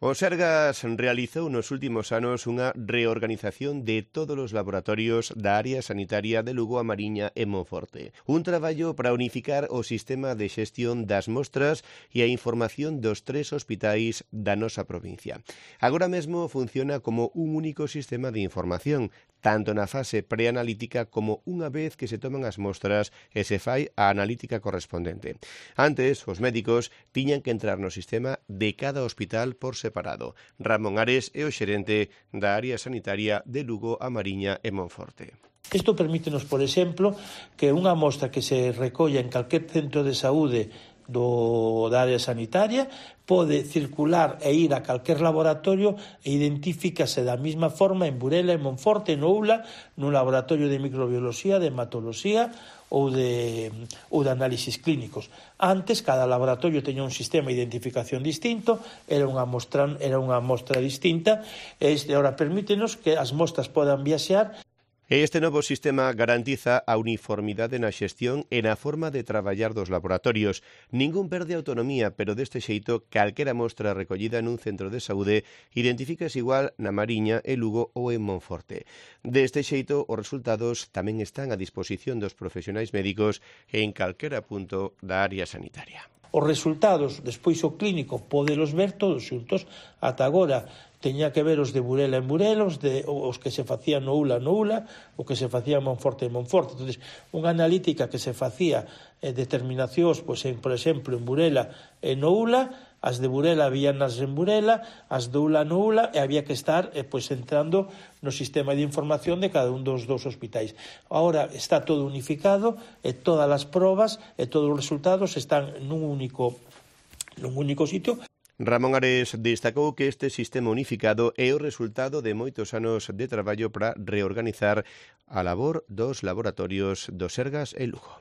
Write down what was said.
O Sergas realizou nos últimos anos unha reorganización de todos os laboratorios da área sanitaria de Lugo, A Mariña e Monforte. Un traballo para unificar o sistema de xestión das mostras e a información dos 3 hospitais da nosa provincia. Agora mesmo funciona como un único sistema de información, tanto na fase preanalítica como unha vez que se toman as mostras e se fai a analítica correspondente. Antes, os médicos tiñan que entrar no sistema de cada hospital por separado. Ramón Ares é o xerente da área sanitaria de Lugo, A Mariña e Monforte. Isto permítenos, por exemplo, que unha mostra que se recolla en calquer centro de saúde da área sanitaria pode circular e ir a calquer laboratorio e identifícase da mesma forma en Burela, en Monforte, no ULA, no laboratorio de microbioloxía, de hematoloxía ou de análisis clínicos. Antes, cada laboratorio teña un sistema de identificación distinto, era unha mostra distinta, e este ahora permítenos que as mostras podan viaxear. Este novo sistema garantiza a uniformidade na xestión e na forma de traballar dos laboratorios. Ningún perde autonomía, pero deste xeito, calquera mostra recollida nun centro de saúde identifícase igual na Mariña, en Lugo ou en Monforte. Deste xeito, os resultados tamén están a disposición dos profesionais médicos en calquera punto da área sanitaria. Os resultados, despois o clínico, podelos ver todos xuntos. Ata agora teña que ver os de Burela en Burela, os que se facían no ULA, o que se facía en Monforte en Monforte. Entón, unha analítica que se facía determinacións, por exemplo, en Burela e no ULA, as de Burela víanas en Burela, as do ULA no ULA, e había que estar entrando no sistema de información de cada un dos hospitais. Agora está todo unificado e todas as probas e todos os resultados están nun único sitio. Ramón Ares destacou que este sistema unificado é o resultado de moitos anos de traballo para reorganizar a labor dos laboratorios do Sergas e Lugo.